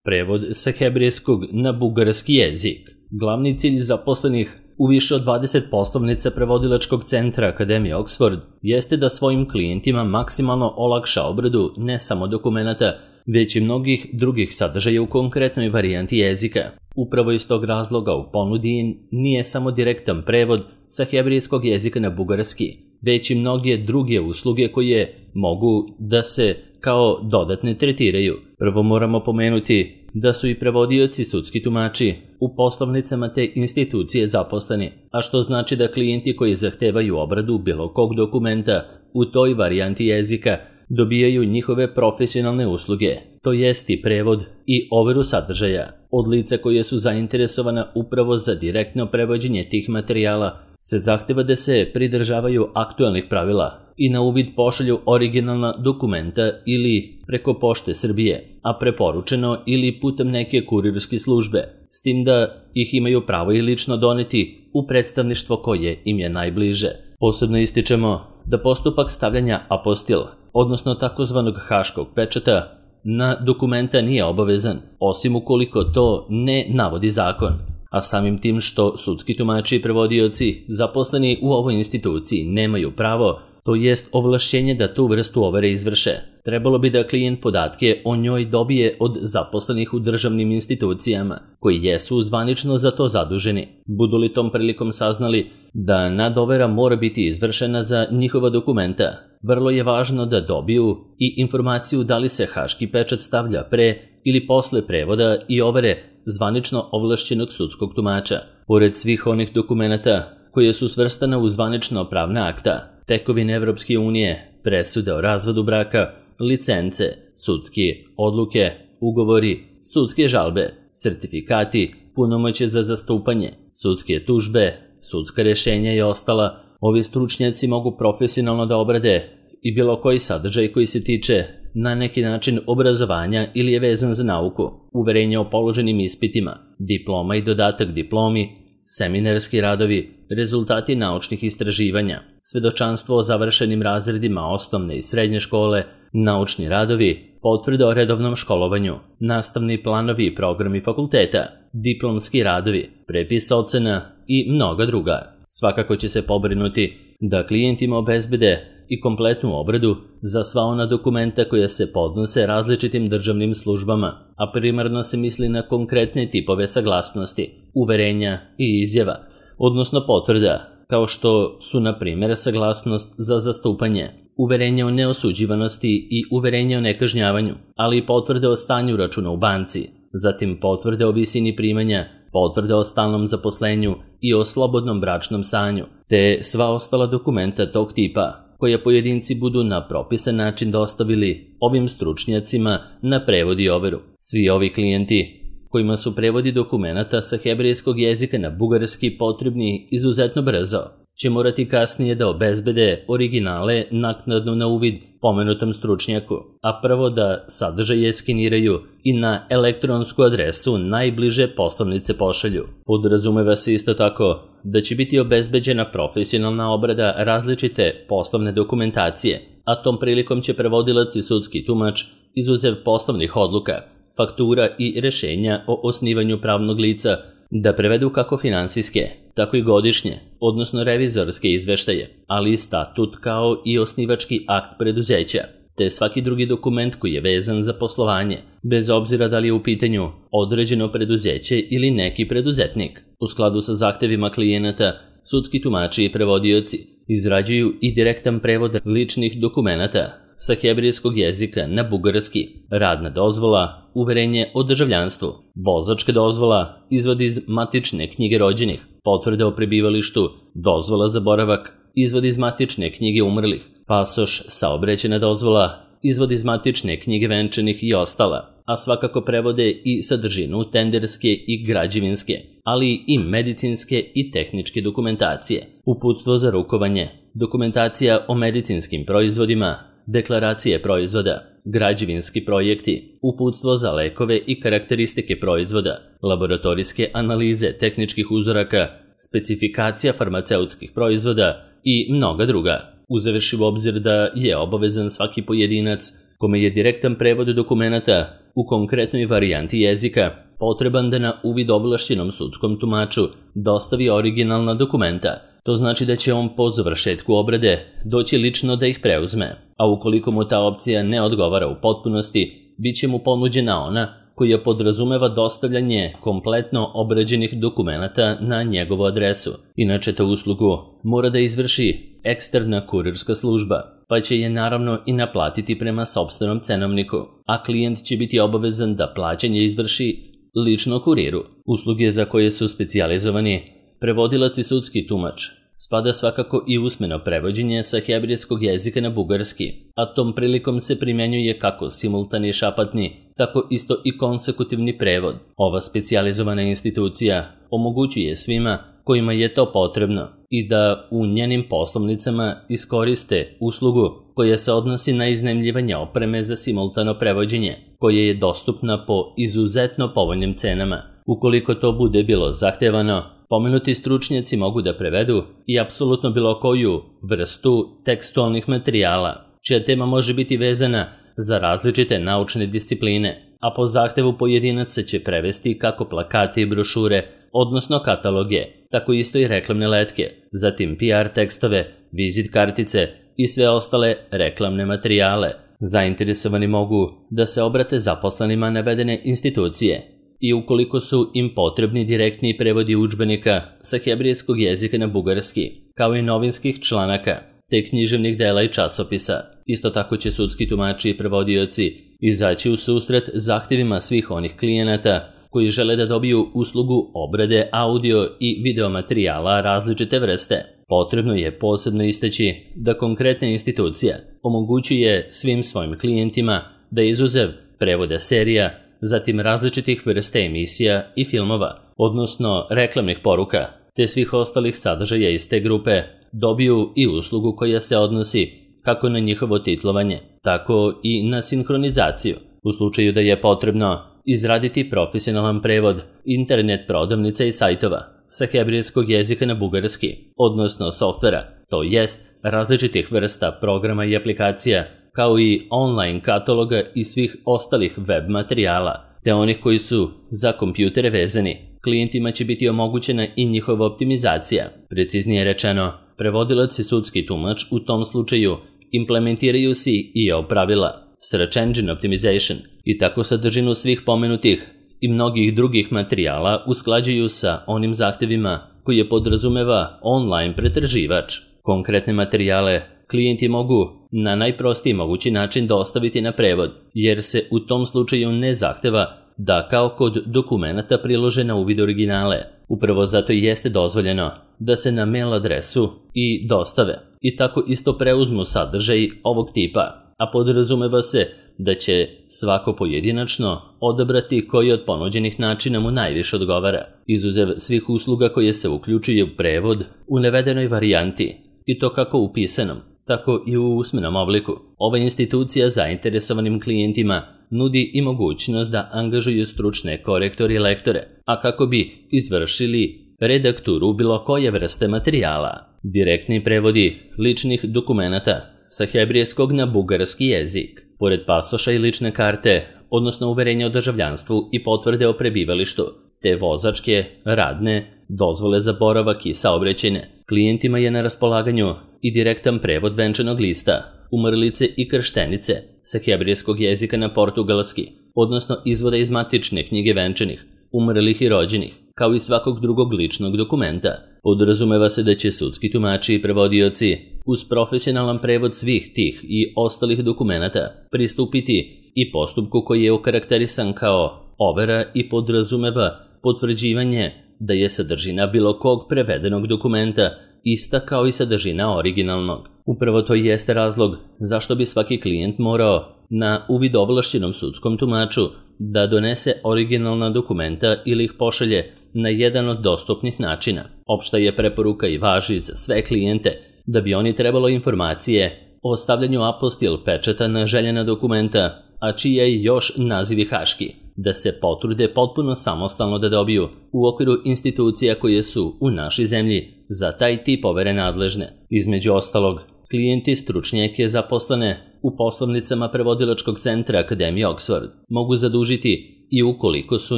prevod sa hebrejskog na bugarski jezik. Glavni cilj zaposlenih u više od 20 poslovnica prevodilačkog centra Akademije Oxford jeste da svojim klijentima maksimalno olakša obradu ne samo dokumenata, već i mnogih drugih sadržaja u konkretnoj varijanti jezika. Upravo iz tog razloga u ponudi nije samo direktan prevod sa hebrejskog jezika na bugarski, već i mnoge druge usluge koje mogu da se kao dodatne tretiraju. Prvo moramo pomenuti da su i prevodioci sudski tumači u poslovnicama te institucije zaposleni, a što znači da klijenti koji zahtevaju obradu bilo kog dokumenta u toj varijanti jezika dobijaju njihove profesionalne usluge, to jest i prevod i overu sadržaja. Od lica koje su zainteresovana upravo za direktno prevođenje tih materijala se zahteva da se pridržavaju aktualnih pravila i na uvid pošalju originalna dokumenta ili preko Pošte Srbije, a preporučeno ili putem neke kurirske službe, s tim da ih imaju pravo i lično doneti u predstavništvo koje im je najbliže. Posebno ističemo da postupak stavljanja apostil, odnosno takozvanog haškog pečata, na dokumenta nije obavezan, osim ukoliko to ne navodi zakon. A samim tim što sudski tumači i prevodioci zaposleni u ovoj instituciji nemaju pravo, to jest ovlašćenje da tu vrstu overe izvrše, trebalo bi da klijent podatke o njoj dobije od zaposlenih u državnim institucijama, koji jesu zvanično za to zaduženi. Budu li tom prilikom saznali da nadovera mora biti izvršena za njihova dokumenta, vrlo je važno da dobiju i informaciju da li se haški pečat stavlja pre ili posle prevoda i overe zvanično ovlašćenog sudskog tumača. Pored svih onih dokumenata koje su svrstane u zvanično pravna akta, tekovine Evropske unije, presude o razvodu braka, licence, sudske odluke, ugovori, sudske žalbe, sertifikati, punomoćje za zastupanje, sudske tužbe, sudska rješenja i ostala, ovi stručnjaci mogu profesionalno da obrade i bilo koji sadržaj koji se tiče na neki način obrazovanja ili je vezan za nauku, uverenje o položenim ispitima, diploma i dodatak diplomi, seminarski radovi, rezultati naučnih istraživanja, svedočanstvo o završenim razredima osnovne i srednje škole, naučni radovi, potvrde o redovnom školovanju, nastavni planovi i programi fakulteta, diplomski radovi, prepis ocena i mnoga druga. Svakako će se pobrinuti da klijentima obezbede i kompletnu obradu za sva ona dokumenta koja se podnose različitim državnim službama, a primarno se misli na konkretne tipove saglasnosti, uverenja i izjava, odnosno potvrda, kao što su na primjer saglasnost za zastupanje, uverenje o neosuđivanosti i uverenje o nekažnjavanju, ali i potvrde o stanju računa u banci, zatim potvrde o visini primanja, potvrde o stalnom zaposlenju i o slobodnom bračnom stanju, te sva ostala dokumenta tog tipa, koje pojedinci budu na propisan način dostavili ovim stručnjacima na prevod i overu. Svi ovi klijenti kojima su prevodi dokumenata sa hebrejskog jezika na bugarski potrebni izuzetno brzo, će morati kasnije da obezbede originale naknadno na uvid pomenutom stručnjaku, a prvo da sadržaje skeniraju i na elektronsku adresu najbliže poslovnice pošalju. Podrazumeva se isto tako da će biti obezbeđena profesionalna obrada različite poslovne dokumentacije, a tom prilikom će prevodilac i sudski tumač, izuzev poslovnih odluka, faktura i rešenja o osnivanju pravnog lica, da prevedu kako finansijske, tako i godišnje, odnosno revizorske izveštaje, ali i statut kao i osnivački akt preduzeća, te svaki drugi dokument koji je vezan za poslovanje, bez obzira da li je u pitanju određeno preduzeće ili neki preduzetnik. U skladu sa zahtevima klijenata, sudski tumači i prevodioci izrađuju i direktan prevod ličnih dokumenata sa hebrejskog jezika na bugarski, radna dozvola, uverenje o državljanstvu, vozačka dozvola, izvod iz matične knjige rođenih, potvrde o prebivalištu, dozvola za boravak, izvod iz matične knjige umrlih, pasoš, saobraćajna dozvola, izvod iz matične knjige venčanih i ostala, a svakako prevode i sadržinu tenderske i građevinske, ali i medicinske i tehničke dokumentacije, uputstvo za rukovanje, dokumentacija o medicinskim proizvodima, deklaracije proizvoda, građevinski projekti, uputstvo za lekove i karakteristike proizvoda, laboratorijske analize tehničkih uzoraka, specifikacija farmaceutskih proizvoda i mnoga druga. Uzevši u obzir da je obavezan svaki pojedinac kome je direktan prevod dokumenata u konkretnoj varijanti jezika potreban da na uvid ovlašćenom sudskom tumaču dostavi originalna dokumenta. To znači da će on po završetku obrade doći lično da ih preuzme, a ukoliko mu ta opcija ne odgovara u potpunosti, bit će mu ponuđena ona koja podrazumeva dostavljanje kompletno obrađenih dokumenata na njegovu adresu. Inače, tu uslugu mora da izvrši eksterna kurirska služba, pa će je naravno i naplatiti prema sopstvenom cenovniku, a klijent će biti obavezan da plaćanje izvrši lično kuriru. Usluge za koje su specijalizovani prevodilac i sudski tumač spada svakako i usmeno prevođenje sa hebrejskog jezika na bugarski, a tom prilikom se primjenjuje kako simultani šapatni, tako isto i konsekutivni prevod. Ova specijalizovana institucija omogućuje svima kojima je to potrebno i da u njenim poslovnicama iskoriste uslugu koja se odnosi na iznajmljivanje opreme za simultano prevođenje, koja je dostupna po izuzetno povoljnim cenama. Ukoliko to bude bilo zahtevano, pomenuti stručnjaci mogu da prevedu i apsolutno bilo koju vrstu tekstualnih materijala, čija tema može biti vezana za različite naučne discipline, a po zahtevu pojedinaca će prevesti kako plakate i brošure, odnosno kataloge, tako isto i reklamne letke, zatim PR tekstove, vizit kartice i sve ostale reklamne materijale. Zainteresovani mogu da se obrate zaposlenima navedene institucije i ukoliko su im potrebni direktni prevodi udžbenika sa hebrejskog jezika na bugarski, kao i novinskih članaka, te književnih dela i časopisa. Isto tako će sudski tumači i prevodioci izaći u susret zahtjevima svih onih klijenata koji žele da dobiju uslugu obrade audio i video materijala različite vrste. Potrebno je posebno istaći da konkretna institucija omogućuje svim svojim klijentima da izuzev prevoda serija, zatim različitih vrsta emisija i filmova, odnosno reklamnih poruka, te svih ostalih sadržaja iz te grupe, dobiju i uslugu koja se odnosi kako na njihovo titlovanje, tako i na sinhronizaciju. U slučaju da je potrebno izraditi profesionalan prevod internet prodavnica i sajtova sa hebrejskog jezika na bugarski, odnosno softvera, to jest različitih vrsta programa i aplikacija, kao i online kataloga i svih ostalih web materijala, te onih koji su za kompjutere vezani. Klijentima će biti omogućena i njihova optimizacija. Preciznije rečeno, prevodilac i sudski tumač u tom slučaju implementiraju SEO pravila, Search Engine Optimization, i tako sadržinu svih pomenutih i mnogih drugih materijala usklađuju sa onim zahtjevima koje podrazumeva online pretraživač. Konkretne materijale klijenti mogu na najprostiji mogući način dostaviti na prevod, jer se u tom slučaju ne zahteva da kao kod dokumenata prilože na uvid originale. Upravo zato i jeste dozvoljeno da se na mail adresu i dostave i tako isto preuzmu sadržaj ovog tipa, a podrazumeva se da će svako pojedinačno odabrati koji od ponuđenih načina mu najviše odgovara, izuzev svih usluga koje se uključuju u prevod u navedenoj varijanti, i to kako u pisanom, tako i u usmenom obliku. Ova institucija zainteresovanim klijentima nudi i mogućnost da angažuju stručne korektore i lektore, a kako bi izvršili redakturu bilo koje vrste materijala. Direktni prevodi ličnih dokumenata sa hebrejskog na bugarski jezik, pored pasoša i lične karte, odnosno uverenja o državljanstvu i potvrde o prebivalištu, te vozačke, radne, dozvole za boravak i saobraćajne. Klijentima je na raspolaganju i direktan prevod venčanog lista, umrlice i krštenice sa hebrejskog jezika na portugalski, odnosno izvoda iz matične knjige venčanih, umrlih i rođenih, kao i svakog drugog ličnog dokumenta. Podrazumeva se da će sudski tumači i prevodioci uz profesionalan prevod svih tih i ostalih dokumenata pristupiti i postupku koji je okarakterisan kao overa i podrazumeva potvrđivanje da je sadržina bilo kog prevedenog dokumenta ista kao i sadržina originalnog. Upravo to jeste razlog zašto bi svaki klijent morao na uvid ovlašćenom sudskom tumaču da donese originalna dokumenta ili ih pošalje na jedan od dostupnih načina. Opšta je preporuka i važi za sve klijente da bi oni trebalo informacije o stavljanju apostil pečata na željena dokumenta, a čija je još nazivi haški, da se potrude potpuno samostalno da dobiju u okviru institucija koje su u našoj zemlji za taj tip overe nadležne. Između ostalog, Klijenti stručnjake zaposlene u poslovnicama prevodilačkog centra Akademije Oxford mogu zadužiti i ukoliko su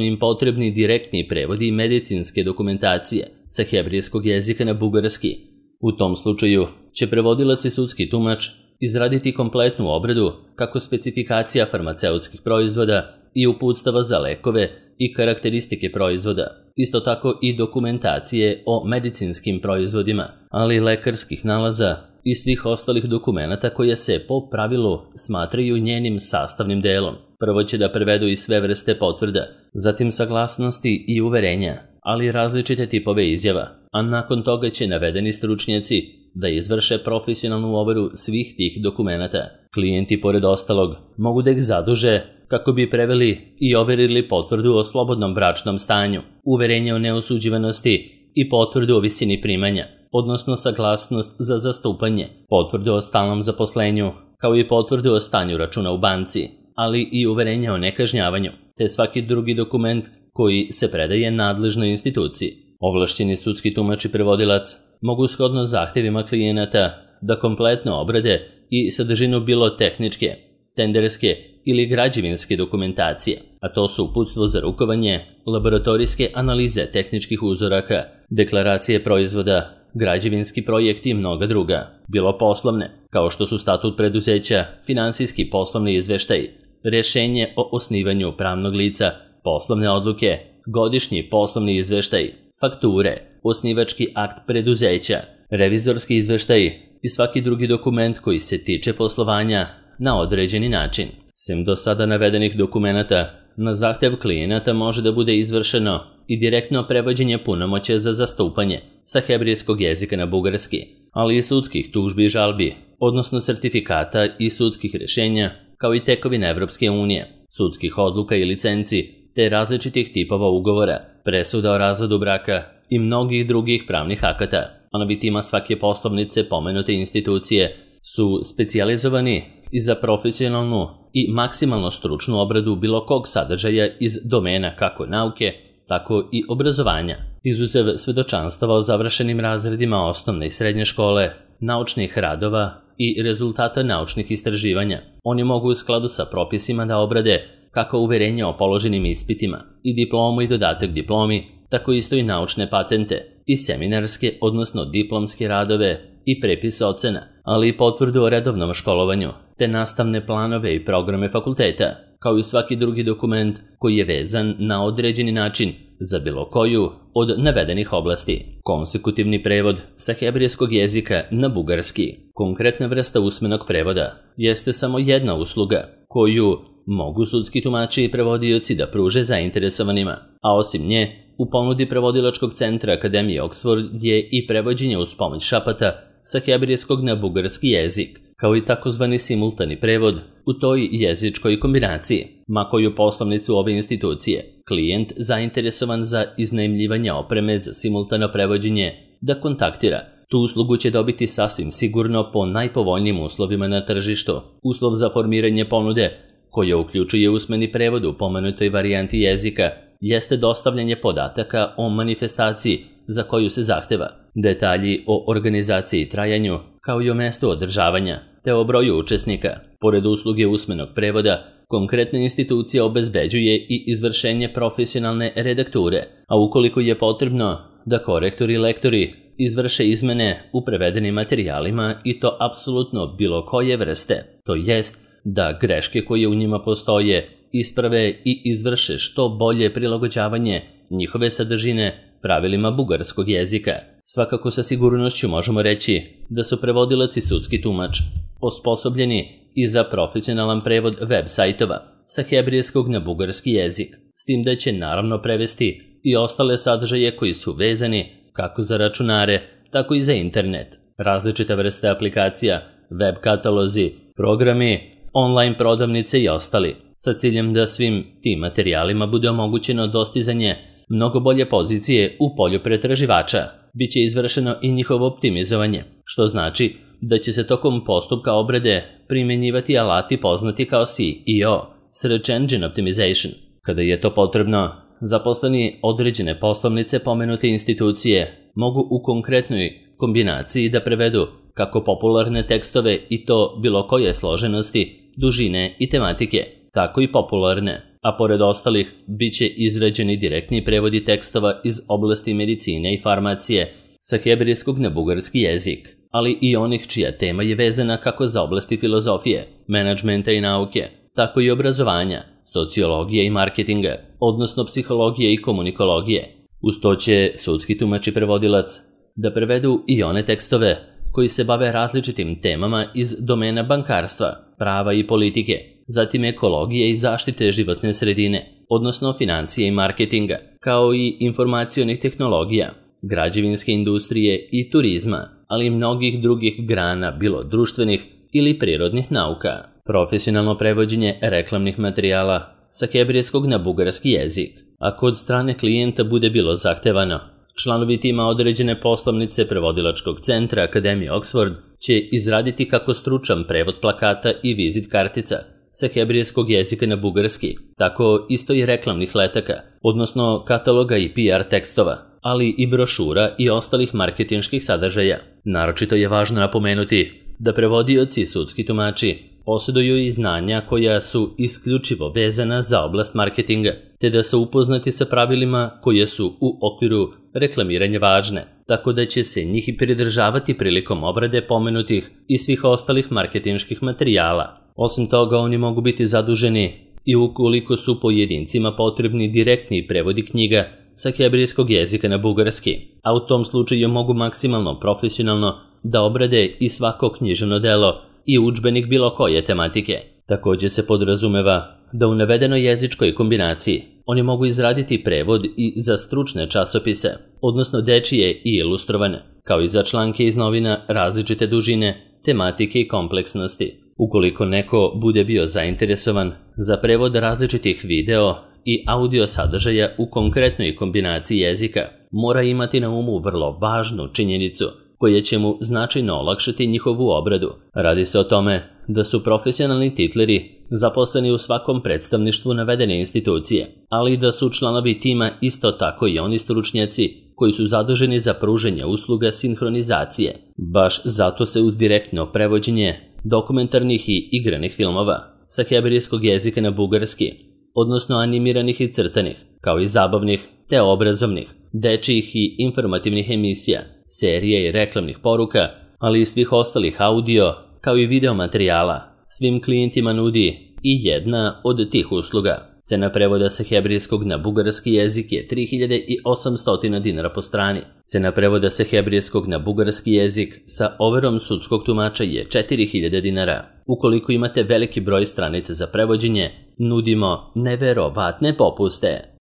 im potrebni direktni prevodi medicinske dokumentacije sa hebrejskog jezika na bugarski. U tom slučaju će prevodilac i sudski tumač izraditi kompletnu obradu kako specifikacija farmaceutskih proizvoda i uputstava za lekove i karakteristike proizvoda, isto tako i dokumentacije o medicinskim proizvodima, ali i lekarskih nalaza i svih ostalih dokumenata koje se po pravilu smatraju njenim sastavnim delom. Prvo će da prevedu i sve vrste potvrda, zatim saglasnosti i uverenja, ali i različite tipove izjava, a nakon toga će navedeni stručnjaci da izvrše profesionalnu overu svih tih dokumenata. Klijenti, pored ostalog, mogu da ih zaduže kako bi preveli i overili potvrdu o slobodnom bračnom stanju, uverenje o neosuđivanosti i potvrdu o visini primanja, odnosno saglasnost za zastupanje, potvrdu o stalnom zaposlenju, kao i potvrdu o stanju računa u banci, ali i uverenje o nekažnjavanju, te svaki drugi dokument koji se predaje nadležnoj instituciji. Ovlašćeni sudski tumač i prevodilac mogu shodno zahtjevima klijenata da kompletno obrade i sadržinu bilo tehničke, tenderske ili građevinske dokumentacije, a to su uputstvo za rukovanje, laboratorijske analize tehničkih uzoraka, deklaracije proizvoda, građevinski projekti i mnoga druga, bilo poslovne, kao što su statut preduzeća, finansijski poslovni izveštaj, rješenje o osnivanju pravnog lica, poslovne odluke, godišnji poslovni izveštaj, fakture, osnivački akt preduzeća, revizorski izveštaj i svaki drugi dokument koji se tiče poslovanja na određeni način. Sem do sada navedenih dokumenata, na zahtjev klijenata može da bude izvršeno i direktno prevođenje punomoćja za zastupanje sa hebrejskog jezika na bugarski, ali i sudskih tužbi i žalbi, odnosno sertifikata i sudskih rješenja, kao i tekovina Evropske unije, sudskih odluka i licenci, te različitih tipova ugovora, presuda o razvodu braka i mnogih drugih pravnih akata. Onobitima svake poslovnice pomenute institucije su specijalizovani i za profesionalnu i maksimalno stručnu obradu bilo kog sadržaja iz domena kako nauke, tako i obrazovanja. Izuzev svedočanstava o završenim razredima osnovne i srednje škole, naučnih radova i rezultata naučnih istraživanja, oni mogu u skladu sa propisima da obrade kako uverenje o položenim ispitima i diplomu i dodatak diplomi, tako isto i naučne patente i seminarske, odnosno diplomske radove i prepis ocena, ali i potvrdu o redovnom školovanju, te nastavne planove i programe fakulteta, kao i svaki drugi dokument koji je vezan na određeni način za bilo koju od navedenih oblasti. Konsekutivni prevod sa hebrejskog jezika na bugarski, konkretna vrsta usmenog prevoda, jeste samo jedna usluga koju mogu sudski tumači i prevodioci da pruže zainteresovanima, a osim nje, u ponudi prevodilačkog centra Akademije Oxford je i prevođenje uz pomoć šapata sa hebrejskog na bugarski jezik, kao i takozvani simultani prevod u toj jezičkoj kombinaciji, ma koju poslovnicu ove institucije, klijent zainteresovan za iznajmljivanje opreme za simultano prevođenje da kontaktira. Tu uslugu će dobiti sasvim sigurno po najpovoljnijim uslovima na tržištu. Uslov za formiranje ponude, koja uključuje usmeni prevod u pomenutoj varijanti jezika, jeste dostavljanje podataka o manifestaciji za koju se zahteva, detalji o organizaciji i trajanju, kao i o mestu održavanja, te o broju učesnika. Pored usluge usmenog prevoda, konkretna institucija obezbeđuje i izvršenje profesionalne redakture, a ukoliko je potrebno da korektori i lektori izvrše izmene u prevedenim materijalima i to apsolutno bilo koje vrste, to jest da greške koje u njima postoje isprave i izvrše što bolje prilagođavanje njihove sadržine pravilima bugarskog jezika. Svakako sa sigurnošću možemo reći da su prevodilac i sudski tumač osposobljeni i za profesionalan prevod web sajtova sa hebrejskog na bugarski jezik, s tim da će naravno prevesti i ostale sadržaje koji su vezani kako za računare, tako i za internet. Različite vrste aplikacija, web katalozi, programi, online prodavnice i ostali, sa ciljem da svim tim materijalima bude omogućeno dostizanje mnogo bolje pozicije u polju pretraživača. Biće izvršeno i njihovo optimizovanje, što znači da će se tokom postupka obrade primjenjivati alati poznati kao SEO, Search Engine Optimization. Kada je to potrebno, zaposleni određene poslovnice pomenute institucije mogu u konkretnoj kombinaciji da prevedu kako popularne tekstove i to bilo koje složenosti, dužine i tematike, tako i popularne, a pored ostalih bit će izrađeni direktni prevodi tekstova iz oblasti medicine i farmacije sa hebrejskog na bugarski jezik, ali i onih čija tema je vezana kako za oblasti filozofije, menadžmenta i nauke, tako i obrazovanja, sociologije i marketinga, odnosno psihologije i komunikologije. Uz to će sudski tumač i prevodilac da prevedu i one tekstove koji se bave različitim temama iz domena bankarstva, prava i politike, zatim ekologije i zaštite životne sredine, odnosno financije i marketinga, kao i informacionih tehnologija, građevinske industrije i turizma, ali i mnogih drugih grana, bilo društvenih ili prirodnih nauka. Profesionalno prevođenje reklamnih materijala sa hebrejskog na bugarski jezik. Ako od strane klijenta bude bilo zahtevano, članovi tima određene poslovnice prevodilačkog centra Akademije Oxford će izraditi kako stručan prevod plakata i vizit kartica sa hebrejskog jezika na bugarski, tako isto i reklamnih letaka, odnosno kataloga i PR tekstova, ali i brošura i ostalih marketinških sadržaja. Naročito je važno napomenuti da prevodioci i sudski tumači posjeduju i znanja koja su isključivo vezana za oblast marketinga, te da su upoznati sa pravilima koje su u okviru reklamiranja važne, tako da će se njih i pridržavati prilikom obrade pomenutih i svih ostalih marketinških materijala. Osim toga, oni mogu biti zaduženi i ukoliko su pojedincima potrebni direktni prevodi knjiga sa hebrejskog jezika na bugarski, a u tom slučaju mogu maksimalno profesionalno da obrade i svako književno delo i udžbenik bilo koje tematike. Također se podrazumeva da u navedenoj jezičkoj kombinaciji oni mogu izraditi prevod i za stručne časopise, odnosno dečije i ilustrovane, kao i za članke iz novina različite dužine, tematike i kompleksnosti. Ukoliko neko bude bio zainteresovan za prevod različitih video i audio sadržaja u konkretnoj kombinaciji jezika, mora imati na umu vrlo važnu činjenicu koja će mu značajno olakšati njihovu obradu. Radi se o tome da su profesionalni titleri zaposleni u svakom predstavništvu navedene institucije, ali da su članovi tima isto tako i oni stručnjaci koji su zaduženi za pružanje usluga sinhronizacije. Baš zato se uz direktno prevođenje dokumentarnih i igranih filmova sa hebrejskog jezika na bugarski, odnosno animiranih i crtanih, kao i zabavnih te obrazovnih, dečijih i informativnih emisija, serije i reklamnih poruka, ali i svih ostalih audio, kao i video materijala, svim klijentima nudi i jedna od tih usluga. Cena prevoda sa hebrejskog na bugarski jezik je 3800 dinara po strani. Cena prevoda sa hebrejskog na bugarski jezik sa overom sudskog tumača je 4000 dinara. Ukoliko imate veliki broj stranica za prevođenje, nudimo neverovatne popuste.